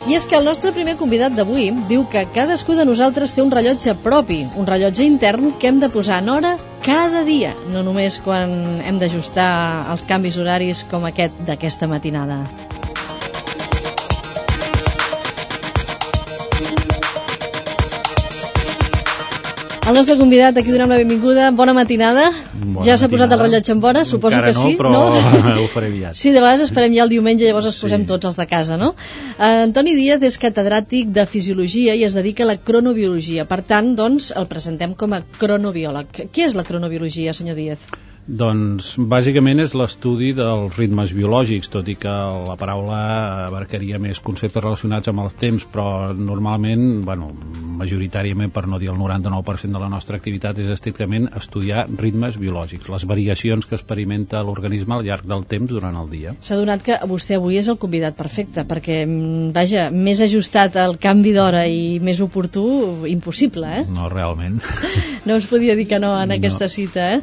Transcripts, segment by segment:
I és que el nostre primer convidat d'avui diu que cadascú de nosaltres té un rellotge propi, un rellotge intern que hem de posar en hora cada dia, no només quan hem d'ajustar els canvis horaris com aquest d'aquesta matinada. El nostre convidat, aquí donem la benvinguda. Bona matinada. Ja s'ha posat el rellotge en hora, suposo encara que sí. Encara no, però ho faré aviat. Sí, de vegades esperem ja el diumenge, llavors es posem tots els de casa, no? Antoni Díaz és catedràtic de Fisiologia i es dedica a la cronobiologia. Per tant, doncs, el presentem com a cronobiòleg. Què és la cronobiologia, senyor Díaz? Doncs bàsicament és l'estudi dels ritmes biològics, tot i que la paraula abarcaria més conceptes relacionats amb els temps, però normalment, majoritàriament, per no dir el 99% de la nostra activitat, és estrictament estudiar ritmes biològics, les variacions que experimenta l'organisme al llarg del temps durant el dia. S'ha donat que vostè avui és el convidat perfecte, perquè, vaja, més ajustat al canvi d'hora i més oportú, impossible, eh? No, realment. No us podia dir que no en aquesta cita, eh?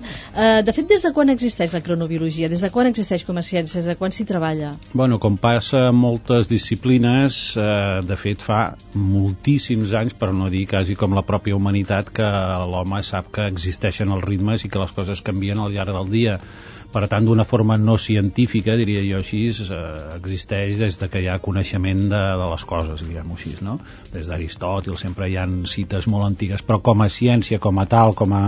De fet, des de quan existeix la cronobiologia? Des de quan existeix com a ciència? Des de quan s'hi treballa? Bueno, com passa en moltes disciplines, de fet fa moltíssims anys, per no dir quasi com la pròpia humanitat, que l'home sap que existeixen els ritmes i que les coses canvien al llarg del dia. Per tant, d'una forma no científica, diria jo així, existeix des de que hi ha coneixement de les coses, diguem-ho així, no? Des d'Aristòtil sempre hi ha cites molt antigues, però com a ciència, com a tal, com a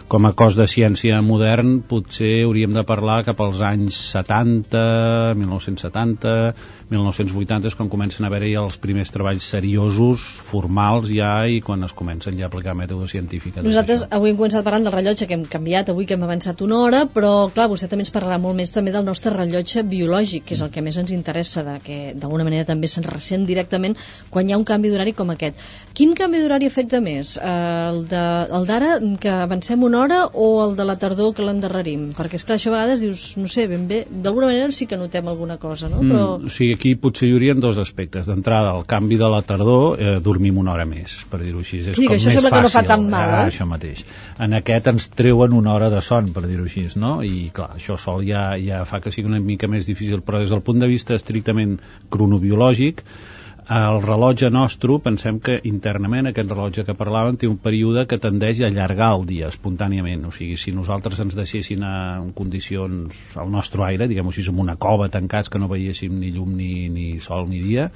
com a cos de ciència modern, potser hauríem de parlar cap als anys 70, 1970, 1980, és quan comencen a haver-hi els primers treballs seriosos, formals ja, i quan es comencen ja a aplicar mètodes científics. Nosaltres avui hem començat parlant del rellotge, que hem canviat avui, que hem avançat una hora, però clar, vostè també ens parlarà molt més també del nostre rellotge biològic, que és el que més ens interessa, que d'alguna manera també se'n ressent directament quan hi ha un canvi d'horari com aquest. Quin canvi d'horari afecta més? El d'ara, que avancem una hora, o el de la tardor, que l'endarrerim? Perquè esclar, això a vegades dius, no sé, ben bé, d'alguna manera sí que notem alguna cosa, no? Però... O sigui, aquí potser hi haurien dos aspectes. D'entrada, el canvi de la tardor, dormim una hora més, per dir-ho així. És com això més sembla fàcil. Que no fa tan mal, Això mateix. En aquest ens treuen una hora de son, per dir-ho així, no? I clar, això sol ja fa que sigui una mica més difícil, però des del punt de vista estrictament cronobiològic, el rellotge nostre, pensem que internament aquest rellotge que parlàvem té un període que tendeix a allargar el dia espontàniament, o sigui, si nosaltres ens deixessin en condicions al nostre aire, diguem-ho així, en una cova tancats que no veiéssim ni llum ni sol ni dia,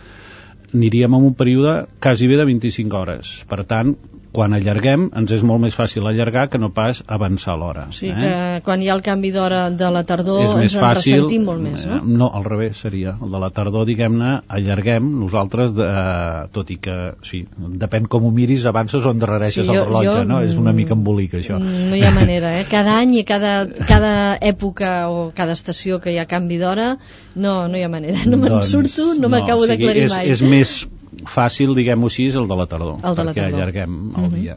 aniríem en un període quasi bé de 25 hores. Per tant, quan allarguem, ens és molt més fàcil allargar que no pas avançar l'hora. O sigui que quan hi ha el canvi d'hora de la tardor ens en ressentim molt més, no? No, al revés seria. El de la tardor, diguem-ne, allarguem nosaltres, tot i que, sí, depèn com ho miris, avances o endarrereixes el rellotge, no? És una mica embolic, això. No hi ha manera, eh? Cada any i cada època o cada estació que hi ha canvi d'hora, no hi ha manera. No me'n surto, no m'acabo d'aclarir mai. És més fàcil, diguem-ho així, el de la tardor, perquè allarguem el dia.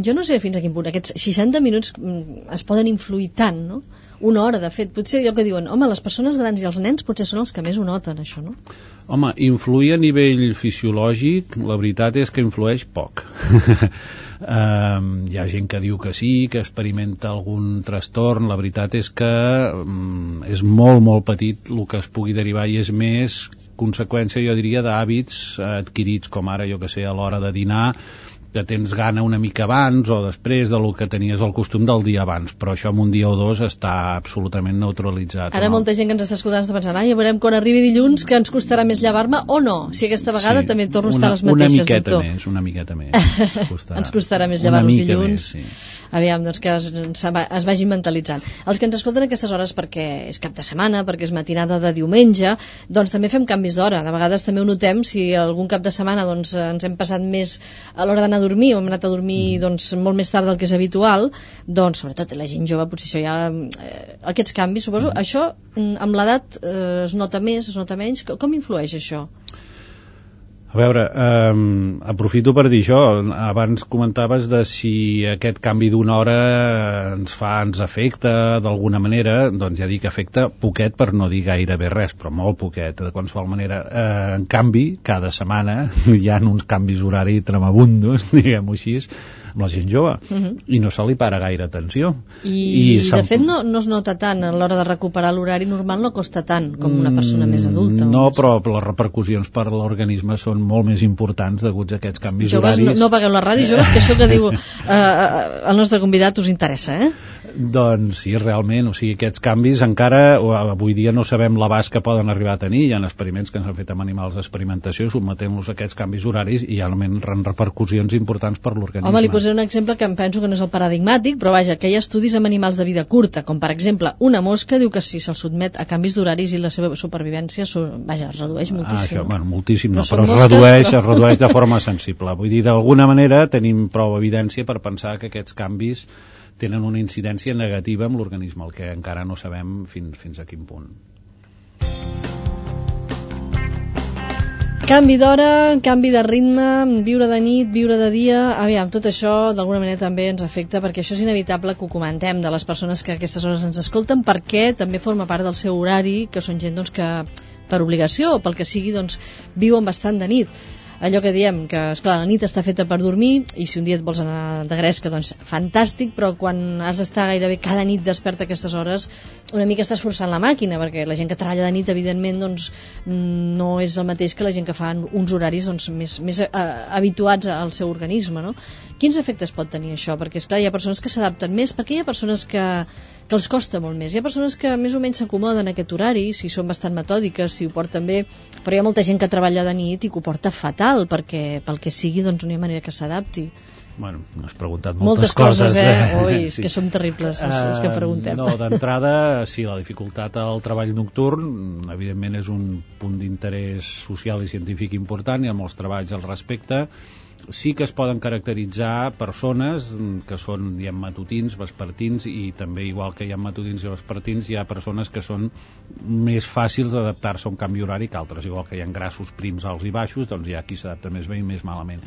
Jo no sé fins a quin punt aquests 60 minuts es poden influir tant, no? Una hora, de fet, potser allò que diuen, home, les persones grans i els nens potser són els que més ho noten, això, no? Home, influir a nivell fisiològic, la veritat és que influeix poc. Hi ha gent que diu que sí, que experimenta algun trastorn, la veritat és que és molt, molt petit el que es pugui derivar i és més conseqüència, jo diria, d'hàbits adquirits, com ara, jo que sé, a l'hora de dinar, que tens gana una mica abans o després del que tenies el costum del dia abans, però això en un dia o dos està absolutament neutralitzat. Ara molta gent que ens està escoltant està pensant, ja veurem quan arribi dilluns que ens costarà més llevar-me o no, si aquesta vegada també torno a estar les mateixes, una miqueta més ens costarà més llevar-nos dilluns més, sí. Aviam, doncs que es vagin mentalitzant. Els que ens escolten a aquestes hores perquè és cap de setmana, perquè és matinada de diumenge, doncs també fem canvis d'hora, de vegades també ho notem, si algun cap de setmana doncs ens hem passat més a l'hora d'anar a dormir, o hem anat a dormir doncs, molt més tard del que és habitual, doncs sobretot la gent jove potser això ja aquests canvis, suposo, això amb l'edat es nota més, es nota menys, com influeix això? A veure, aprofito per dir això. Abans comentaves de si aquest canvi d'una hora ens afecta d'alguna manera. Doncs ja dic, afecta poquet, per no dir gairebé res, però molt poquet, de qualsevol manera. En canvi, cada setmana hi ha uns canvis horari tremabundos, diguem-ho així, amb la gent jove, i no se li para gaire atenció. I de fet no es nota tant a l'hora de recuperar l'horari normal, no costa tant com una persona més adulta. No, però les repercussions per l'organisme són molt més importants deguts a aquests canvis joves, horaris. No pagueu la ràdio, joves, que això que diu el nostre convidat us interessa, Doncs sí, realment, o sigui, aquests canvis encara, avui dia no sabem l'abast que poden arribar a tenir. Hi ha experiments que s'han fet amb animals d'experimentació, sotmetent-los a aquests canvis horaris i hi ha repercussions importants per l'organisme. Home, li posaré un exemple que em penso que no és el paradigmàtic, però vaja, que hi ha estudis amb animals de vida curta, com per exemple una mosca diu que si se'l sotmet a canvis d'horaris i la seva supervivència es redueix moltíssim. Això, bueno, moltíssim no, però es redueix de forma sensible. Vull dir, d'alguna manera tenim prou evidència per pensar que aquests canvis tenen una incidència negativa amb l'organisme, el que encara no sabem fins a quin punt. Canvi d'hora, canvi de ritme, viure de nit, viure de dia, aviam, tot això d'alguna manera també ens afecta, perquè això és inevitable que ho comentem de les persones que a aquestes hores ens escolten, perquè també forma part del seu horari, que són gent doncs, que per obligació o pel que sigui doncs, viuen bastant de nit. Allò que diem, que esclar, la nit està feta per dormir i si un dia et vols anar de gresca, doncs fantàstic, però quan has d'estar gairebé cada nit desperta a aquestes hores, una mica estàs forçant la màquina, perquè la gent que treballa de nit, evidentment, doncs, no és el mateix que la gent que fa uns horaris doncs, més habituats al seu organisme, no? Quins efectes pot tenir això? Perquè, esclar, hi ha persones que s'adapten més, perquè hi ha persones que els costa molt més. Hi ha persones que més o menys s'acomoden a aquest horari, si són bastant metòdiques, si ho porten bé, però hi ha molta gent que treballa de nit i que ho porta fatal, perquè pel que sigui doncs no hi ha manera que s'adapti. Bueno, has preguntat moltes coses. Ui, és que som terribles els que preguntem. No, d'entrada, sí, la dificultat al treball nocturn, evidentment és un punt d'interès social i científic important, hi ha molts treballs al respecte. Sí que es poden caracteritzar persones que són, diem, matutins, vespertins, i també, igual que hi ha matutins i vespertins, hi ha persones que són més fàcils d'adaptar-se a un canvi horari que altres, igual que hi ha grassos prims, alts i baixos, doncs hi ha qui s'adapta més bé i més malament.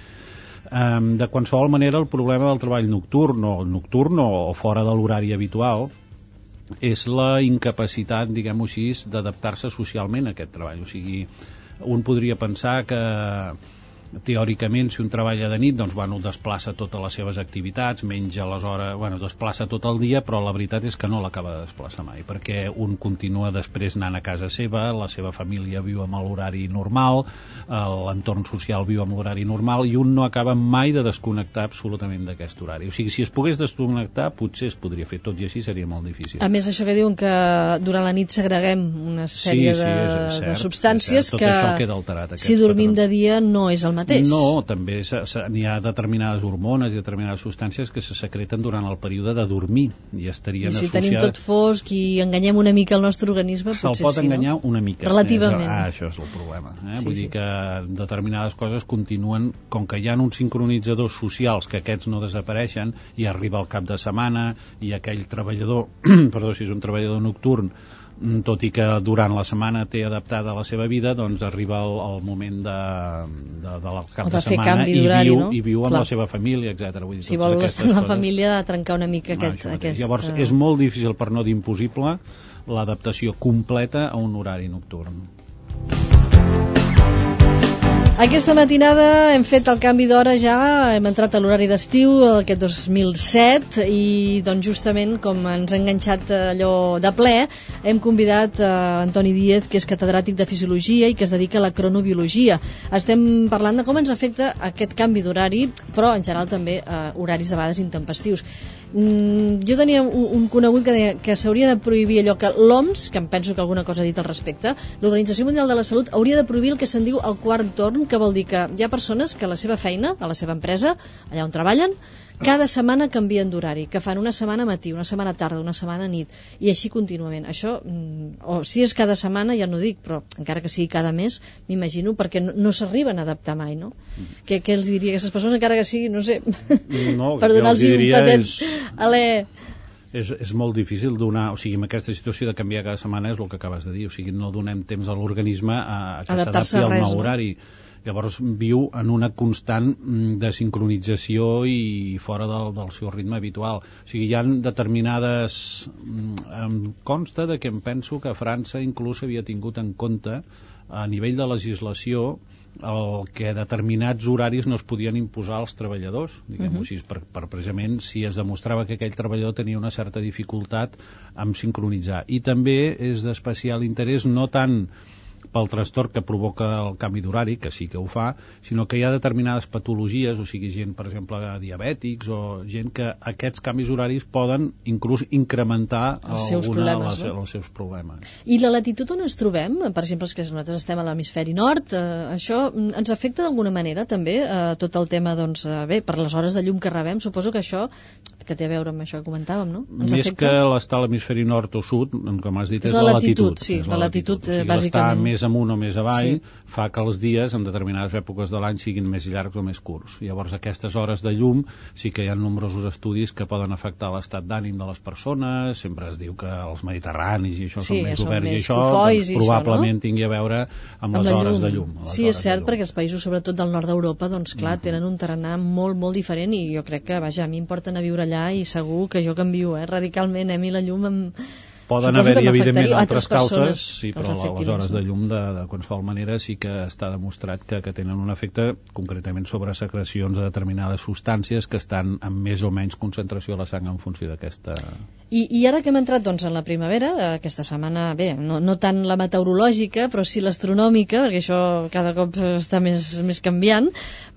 De qualsevol manera, el problema del treball nocturn o fora de l'horari habitual és la incapacitat, diguem-ho així, d'adaptar-se socialment a aquest treball. O sigui, un podria pensar que teòricament, si un treballa de nit, doncs, bueno, desplaça totes les seves activitats, menja les hores, bueno, desplaça tot el dia, però la veritat és que no l'acaba de desplaçar mai, perquè un continua després anant a casa seva, la seva família viu amb l'horari normal, l'entorn social viu amb l'horari normal, i un no acaba mai de desconnectar absolutament d'aquest horari. O sigui, si es pogués desconnectar, potser es podria fer, tot i així seria molt difícil. A més, això que diuen que durant la nit segreguem una sèrie de substàncies que queda alterat, si dormim de dia no és el mateix. No, també n'hi ha determinades hormones i determinades substàncies que se secreten durant el període de dormir i estarien si associades... tenim tot fosc i enganyem una mica el nostre organisme, potser se'l pot enganyar, no? Una mica. Relativament. Això és el problema. Vull dir que determinades coses continuen, com que hi ha uns sincronitzadors socials que aquests no desapareixen, i arriba el cap de setmana i aquell treballador, perdó, si és un treballador nocturn, tot i que durant la setmana té adaptada la seva vida, doncs arriba el moment del cap de setmana i viu amb la seva família, etc. Si vol estar amb la família, ha de trencar una mica aquest... Llavors és molt difícil, per no dir impossible, l'adaptació completa a un horari nocturn. Aquesta matinada hem fet el canvi d'hora ja, hem entrat a l'horari d'estiu aquest 2007 i doncs justament com ens ha enganxat allò de ple, hem convidat Antoni Díez, que és catedràtic de Fisiologia i que es dedica a la cronobiologia. Estem parlant de com ens afecta aquest canvi d'horari, però en general també horaris de vegades intempestius. Jo tenia un conegut que deia que s'hauria de prohibir allò que l'OMS, que em penso que alguna cosa ha dit al respecte, l'Organització Mundial de la Salut hauria de prohibir el que se'n diu el quart torn, que vol dir que hi ha persones que a la seva feina, a la seva empresa, allà on treballen, cada setmana canvien d'horari, que fan una setmana matí, una setmana tarda, una setmana nit, i així contínuament. Això, o si és cada setmana, ja no dic, però encara que sigui cada mes, m'imagino, perquè no s'arriben a adaptar mai, no? Què els diria a aquestes persones, encara que sigui, no sé, per donar-los un patent alè... És molt difícil donar, o sigui, en aquesta situació de canviar cada setmana és el que acabes de dir, o sigui, no donem temps a l'organisme a que s'adapti al nou horari. Llavors viu en una constant desincronització i fora del seu ritme habitual. O sigui, hi ha determinades... Em consta que em penso que França inclús havia tingut en compte a nivell de legislació el que determinats horaris no es podien imposar als treballadors, diguem-ho així, per precisament si es demostrava que aquell treballador tenia una certa dificultat en sincronitzar. I també és d'especial interès no tant pel trastorn que provoca el canvi d'horari, que sí que ho fa, sinó que hi ha determinades patologies, o sigui, gent, per exemple, diabètics o gent que aquests canvis horaris poden inclús incrementar els seus problemes. I la latitud on ens trobem, per exemple, que nosaltres estem a l'hemisferi nord, això ens afecta d'alguna manera també tot el tema, doncs, bé, per les hores de llum que rebem, suposo que això que té a veure amb això que comentàvem, no? Més afecta? Que l'estar a l'hemisferi nord o sud, com has dit, és la latitud. Sí, la latitud, o sigui, bàsicament. Més amunt o més avall fa que els dies en determinades èpoques de l'any siguin més llargs o més curts. Llavors aquestes hores de llum sí que hi ha nombrosos estudis que poden afectar l'estat d'ànim de les persones, sempre es diu que els mediterranis i això són més oberts i això doncs, probablement tingui a veure amb les hores de llum. Sí, és cert, perquè els països sobretot del nord d'Europa doncs clar, tenen un tarannà molt, molt diferent i jo crec que, vaja, a mi em porten a viure allà i segur que jo canvio radicalment, a mi la llum poden haver-hi, evidentment, altres causes, sí, però les hores de llum de qualsevol manera sí que està demostrat que tenen un efecte concretament sobre secrecions de determinades substàncies que estan amb més o menys concentració a la sang en funció d'aquesta... I ara que hem entrat doncs, en la primavera, aquesta setmana, bé, no tant la meteorològica, però sí l'astronòmica, perquè això cada cop està més canviant,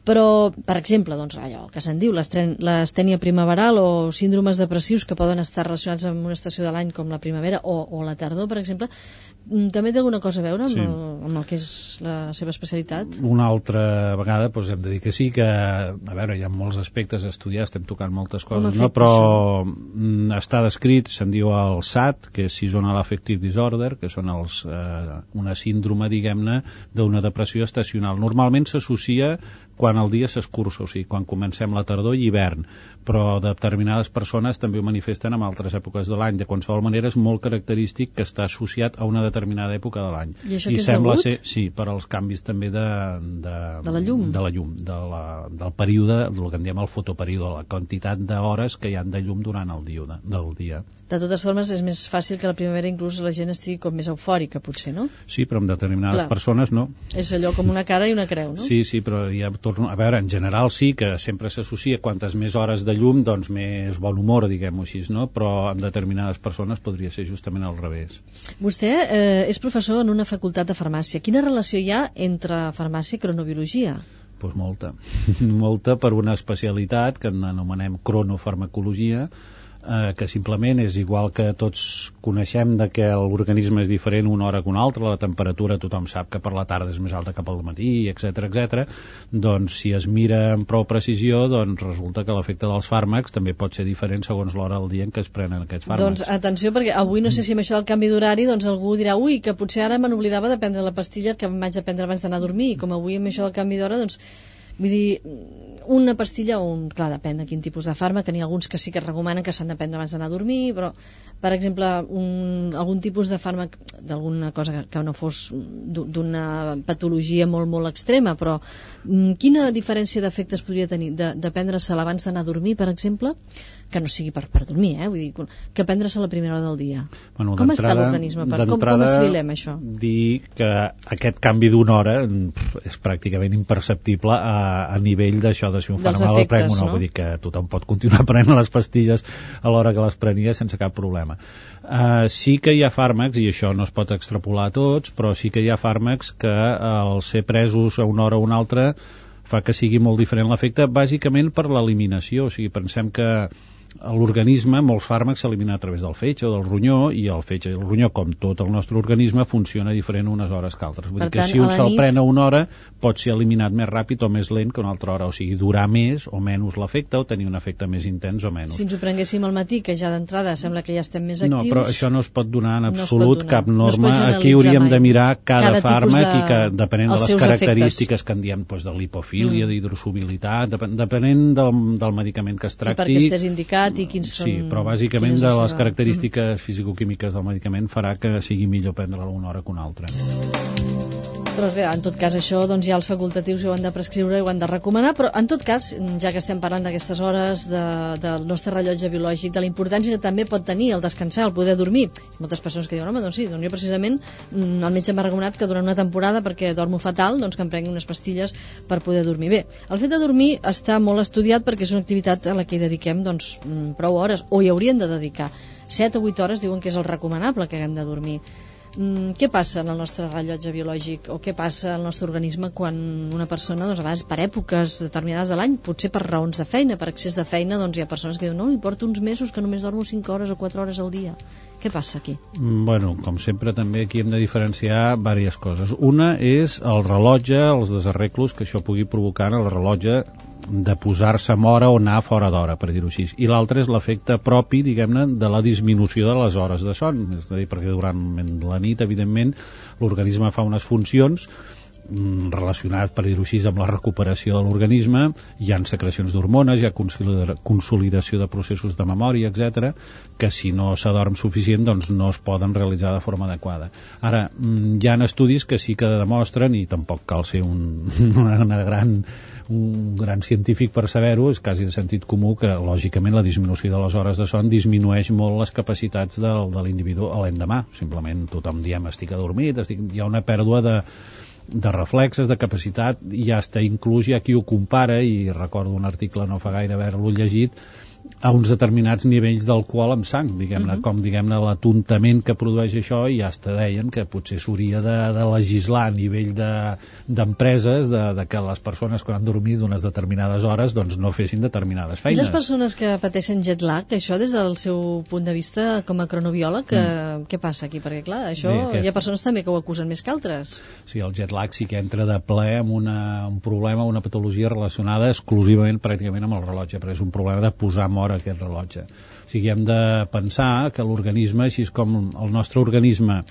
però, per exemple, doncs, allò que se'n diu, l'astènia primaveral o síndromes depressius que poden estar relacionats amb una estació de l'any com la primavera o la tardor, per exemple, també té alguna cosa a veure amb el que és la seva especialitat? Una altra vegada doncs hem de dir que sí, que a veure, hi ha molts aspectes a estudiar, estem tocant moltes coses, no? Però està descrit, se'n diu el SAD, que és Seasonal Affective Disorder, que són una síndrome, diguem-ne, d'una depressió estacional. Normalment s'associa quan el dia s'escurça, o sigui, quan comencem la tardor i hivern, però determinades persones també ho manifesten en altres èpoques de l'any. De qualsevol manera és molt característic que està associat a una determinada època de l'any. I això que és degut? Sí, per als canvis també de la llum, del període, del que en diem el fotoperíode, la quantitat d'hores que hi ha de llum durant el dia. De totes formes, és més fàcil que a la primavera inclús la gent estigui com més eufòrica, potser, no? Sí, però amb determinades persones no. És allò com una cara i una creu, no? Sí, però ja torno... A veure, en general sí que sempre s'associa quantes més hores de llum, doncs més bon humor, diguem-ho així, no? Però amb determinades persones podria ser justament al revés. Vostè és professor en una facultat de farmàcia. Quina relació hi ha entre farmàcia i cronobiologia? Doncs molta. Molta per una especialitat que anomenem cronofarmacologia, que simplement és igual que tots coneixem de que l'organisme és diferent una hora que una altra, la temperatura tothom sap que per la tarda és més alta que pel matí, etc. Doncs si es mira amb prou precisió, doncs resulta que l'efecte dels fàrmacs també pot ser diferent segons l'hora del dia en què es prenen aquests fàrmacs. Doncs atenció, perquè avui no sé si amb això del canvi d'horari doncs algú dirà, ui, que potser ara me n'oblidava de prendre la pastilla que em vaig a prendre abans d'anar a dormir, i com avui amb això del canvi d'hora, doncs vull dir, una pastilla clar, depèn de quin tipus de fàrmac, n'hi ha alguns que sí que es recomanen que s'han de prendre abans d'anar a dormir, però, per exemple, algun tipus de fàrmac d'alguna cosa que no fos d'una patologia molt, molt extrema, però quina diferència d'efectes podria tenir de prendre-se'l abans d'anar a dormir, per exemple, que no sigui per dormir, vull dir, que prendre-se a la primera hora del dia? Bueno, com està l'organisme? Com assimilem això? Dir que aquest canvi d'una hora és pràcticament imperceptible a nivell d'això, de si un fàrmac el prenc o no. Vull dir que tothom pot continuar prenent les pastilles a l'hora que les prenia sense cap problema. Sí que hi ha fàrmacs, i això no es pot extrapolar a tots, però sí que hi ha fàrmacs que al ser presos a una hora o una altra fa que sigui molt diferent l'efecte, bàsicament per l'eliminació. O sigui, pensem que l'organisme, molts fàrmacs s'eliminen a través del fetge o del ronyó, i el fetge i el ronyó, com tot el nostre organisme, funciona diferent unes hores que altres. Vull dir que si un se'l pren a una hora pot ser eliminat més ràpid o més lent que una altra hora, o sigui, durar més o menys l'efecte, o tenir un efecte més intens o menys. Si ens ho prenguéssim al matí, que ja d'entrada sembla que ja estem més actius... No, però això no es pot donar en absolut cap norma. Aquí hauríem de mirar cada fàrmac i que, depenent de les característiques que en diem, de lipofília, d'hidrosobilitat, depenent del medicament que es tracti... I perquè estés indicat i quins són... Sí, però bàsicament de les característiques fisicoquímiques del medicament farà que sigui millor prendre-la una hora que una altra. Però bé, en tot cas això doncs, ja els facultatius ho han de prescriure i ho han de recomanar, però en tot cas, ja que estem parlant d'aquestes hores del nostre rellotge biològic, de la importància que també pot tenir el descansar, el poder dormir, moltes persones que diuen, home, doncs sí, doncs jo precisament el metge m'ha recomanat que durant una temporada, perquè dormo fatal, doncs que em prengui unes pastilles per poder dormir bé. El fet de dormir està molt estudiat perquè és una activitat a la que hi dediquem doncs, prou hores, o hi haurien de dedicar 7 o 8 hores, diuen que és el recomanable que haguem de dormir. Què passa en el nostre rellotge biològic o què passa al nostre organisme quan una persona, doncs, a vegades per èpoques determinades de l'any, potser per raons de feina, per excés de feina, doncs hi ha persones que diuen, no, hi porto uns mesos que només dormo 5 hores o 4 hores al dia. Què passa aquí? Bueno, com sempre també aquí hem de diferenciar diverses coses. Una és el rellotge, els desarreglos que això pugui provocar en el rellotge de posar-se amb hora o anar fora d'hora, per dir-ho així. I l'altre és l'efecte propi, diguem-ne, de la disminució de les hores de son. És a dir, perquè durant la nit, evidentment, l'organisme fa unes funcions relacionat, per dir-ho així, amb la recuperació de l'organisme. Hi ha secrecions d'hormones, hi ha consolidació de processos de memòria, etc., que si no s'adorm suficient doncs no es poden realitzar de forma adequada. Ara, hi ha estudis que sí que demostren, i tampoc cal ser un gran científic per saber-ho, és quasi de sentit comú que lògicament la disminució de les hores de son disminueix molt les capacitats de l'individu a l'endemà. Simplement tothom diem estic adormit, hi ha una pèrdua de reflexes, de capacitat, i ja està inclús, hi ha qui ho compara, i recordo un article no fa gaire haver-lo llegit, a uns determinats nivells d'alcohol amb sang, diguem-ne, com diguem-ne l'atontament que produeix això, i ja deien que potser s'hauria de legislar a nivell d'empreses de que les persones quan han dormit unes determinades hores doncs no fessin determinades feines. I les persones que pateixen jet lag, això des del seu punt de vista com a cronobiòleg, què passa aquí? Perquè clar, això bé, hi ha persones també que ho acusen més que altres. Sí, el jet lag sí que entra de ple amb un problema, una patologia relacionada exclusivament pràcticament amb el rellotge, però és un problema de posar en hora aquest rellotge. O sigui, hem de pensar que l'organisme, així com el nostre organisme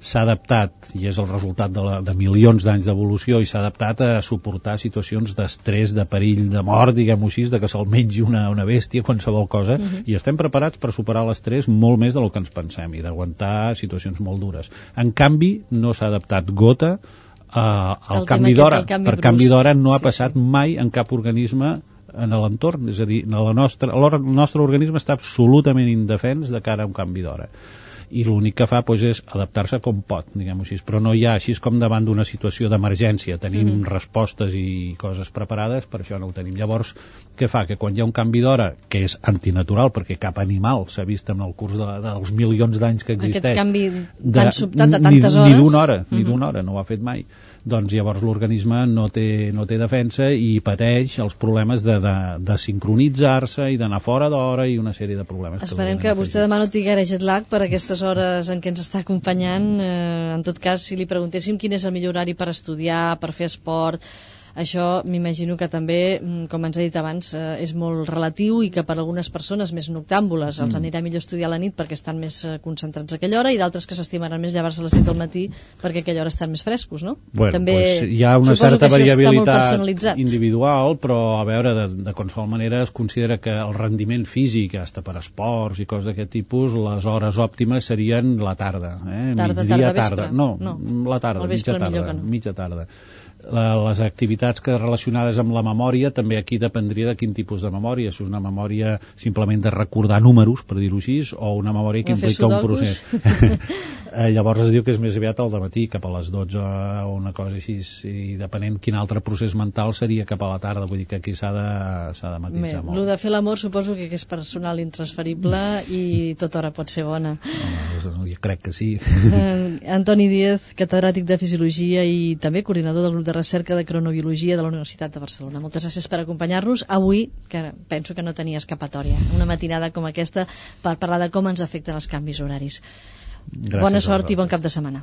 s'ha adaptat, i és el resultat de milions d'anys d'evolució, i s'ha adaptat a suportar situacions d'estrès, de perill, de mort, diguem-ho així, de que se'l mengi una bèstia, qualsevol cosa, i estem preparats per superar l'estrès molt més del que ens pensem, i d'aguantar situacions molt dures. En canvi, no s'ha adaptat gota al canvi d'hora. Per canvi d'hora no ha passat mai en cap organisme en l'entorn, és a dir, el nostre organisme està absolutament indefens de cara a un canvi d'hora, i l'únic que fa doncs, és adaptar-se com pot, diguem-ho així, però no hi ha, així com davant d'una situació d'emergència tenim respostes i coses preparades, per això no ho tenim. Llavors, què fa? Que quan hi ha un canvi d'hora, que és antinatural, perquè cap animal s'ha vist en el curs dels milions d'anys que existeix, aquest canvi tan sobtat de tantes hores, ni d'una hora, no ho ha fet mai, doncs llavors l'organisme no té defensa i pateix els problemes de sincronitzar-se i d'anar fora d'hora i una sèrie de problemes. Esperem que vostè demà no tingui jet lag per aquestes hores en què ens està acompanyant. En tot cas, si li preguntéssim quin és el millor horari per estudiar, per fer esport, això m'imagino que també, com ens ha dit abans, és molt relatiu, i que per algunes persones més noctàmbules els anirà millor estudiar a la nit perquè estan més concentrats a aquella hora, i d'altres que s'estimaran més llevar-se a les 6 del matí perquè a aquella hora estan més frescos, no? Bueno, també pues hi ha una certa variabilitat individual, però a veure, de qualsevol manera es considera que el rendiment físic, hasta per esports i coses d'aquest tipus, les hores òptimes serien la tarda, migdia, tarda. No, la tarda, mitja tarda. Les activitats relacionades amb la memòria també aquí dependria de quin tipus de memòria, si és una memòria simplement de recordar números, per dir-ho així, o una memòria que implica un procés. Llavors es diu que és més aviat al dematí, cap a les 12 o una cosa així, i depenent quin altre procés mental seria cap a la tarda, vull dir que aquí s'ha de matisar molt. El de fer l'amor suposo que és personal intransferible i tota hora pot ser bona. Jo crec que sí. Antoni Díez, catedràtic de Fisiologia i també coordinador del grup de recerca de cronobiologia de la Universitat de Barcelona. Moltes gràcies per acompanyar-nos avui, que penso que no tenia escapatòria, una matinada com aquesta per parlar de com ens afecten els canvis horaris. Bona sort i bon cap de setmana.